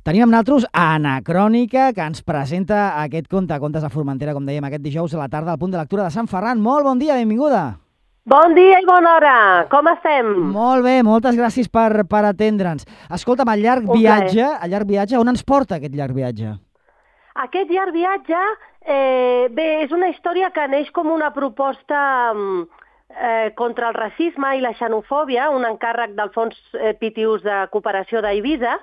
Tenim amb nosaltres Anacrònica, que ens presenta aquest contes a Formentera, com dèiem, aquest dijous a la tarda al punt de lectura de Sant Ferran. Molt bon dia, benvinguda. Bon dia i bona hora, com estem? Molt bé, moltes gràcies per atendre'ns. Escolta'm, el llarg viatge, on ens porta aquest llarg viatge? Aquest llarg viatge, bé, és una història que neix com una proposta contra el racisme i la xenofòbia, un encàrrec del Fons Pitius de Cooperació d'Eivissa,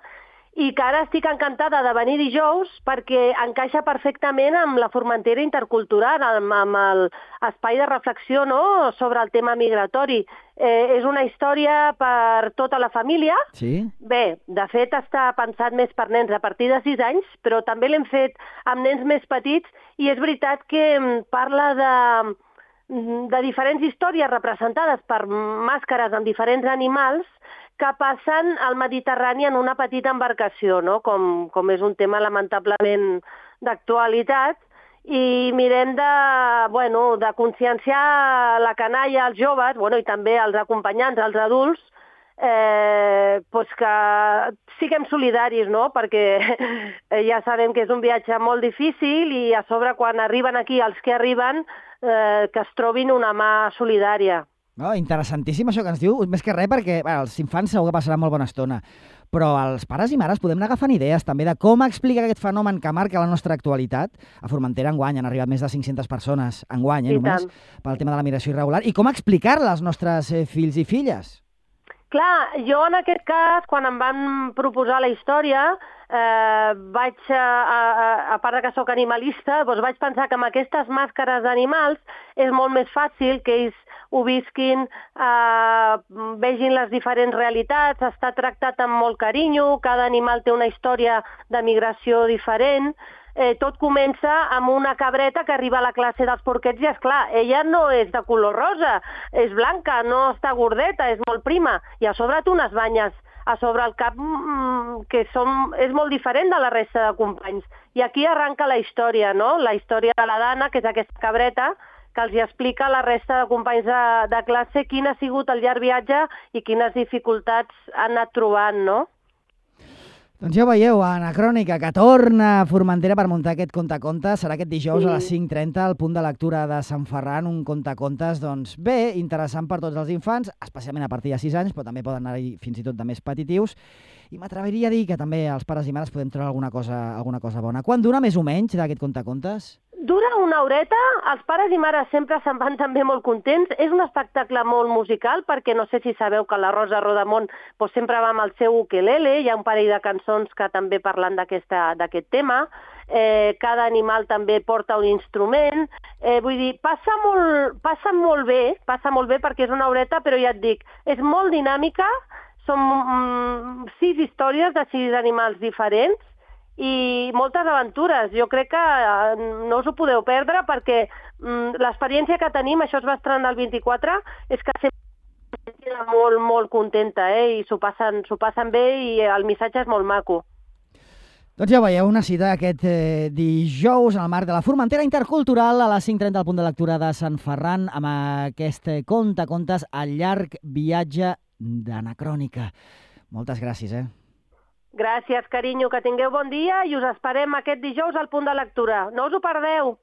i que ara estic encantada de venir dijous perquè encaixa perfectament amb la Formentera intercultural, amb l'espai de reflexió, no?, sobre el tema migratori. És una història per tota la família. Sí? Bé, de fet està pensat més per nens a partir de 6 anys, però també l'hem fet amb nens més petits i és veritat que parla de diferents històries representades per màscares amb diferents animals que passen al Mediterrani en una petita embarcació, no? Com és un tema lamentablement d'actualitat, i mirem de conscienciar la canalla, els joves, i també els acompanyants, els adults, que siguem solidaris, no? Perquè ja sabem que és un viatge molt difícil i a sobre quan arriben aquí els que arriben que es trobin una mà solidària. Interessantíssim això que ens diu, més que res perquè els infants segur que passaran molt bona estona, però els pares i mares podem anar agafant idees també de com explicar aquest fenomen que marca la nostra actualitat. A Formentera enguany han arribat més de 500 persones enguany, només, pel tema de la migració irregular, i com explicar-la als nostres fills i filles? Clar, jo en aquest cas, quan em van proposar la història, vaig, a part que sóc animalista, vaig pensar que amb aquestes màscares d'animals és molt més fàcil que ells ho visquin, vegin les diferents realitats, està tractat amb molt carinyo, cada animal té una història de migració diferent. Tot comença amb una cabreta que arriba a la classe dels porquets i, esclar, ella no és de color rosa, és blanca, no està gordeta, és molt prima, i a sobre té unes banyes a sobre el cap que és molt diferent de la resta de companys. I aquí arranca la història, no? La història de la Dana, que és aquesta cabreta, que els explica a la resta de companys de classe quin ha sigut el llarg viatge i quines dificultats han anat trobant, no? Doncs ja ho veieu, Anacrònica, que torna a Formentera per muntar aquest contacontes. Serà aquest dijous a les 5:30 al punt de lectura de Sant Ferran, un contacontes, doncs bé, interessant per tots els infants, especialment a partir de 6 anys, però també poden anar-hi fins i tot de més petitius. I m'atreviria a dir que també els pares i mares podem treure alguna cosa bona. Quan dura més o menys d'aquest contacontes? Dura una horeta, els pares i mares sempre se'n van també molt contents. És un espectacle molt musical, perquè no sé si sabeu que la Rosa Rodamont sempre va amb el seu ukelele, hi ha un parell de cançons que també parlen d'aquest tema, cada animal també porta un instrument, vull dir, passa molt bé perquè és una horeta, però ja et dic, és molt dinàmica, són 6 històries de 6 animals diferents, i moltes aventures. Jo crec que no us ho podeu perdre perquè l'experiència que tenim, això es va estrenar el 24, és que sempre queda molt, molt contenta, i s'ho passen bé i el missatge és molt maco. Doncs ja veieu, una cita aquest dijous en el marc de la Formentera Intercultural a les 5:30 al punt de lectura de Sant Ferran amb aquest contacontes al llarg viatge d'Anacrònica. Moltes gràcies, Gràcies, carinyo, que tingueu bon dia i us esperem aquest dijous al punt de lectura. No us ho perdeu!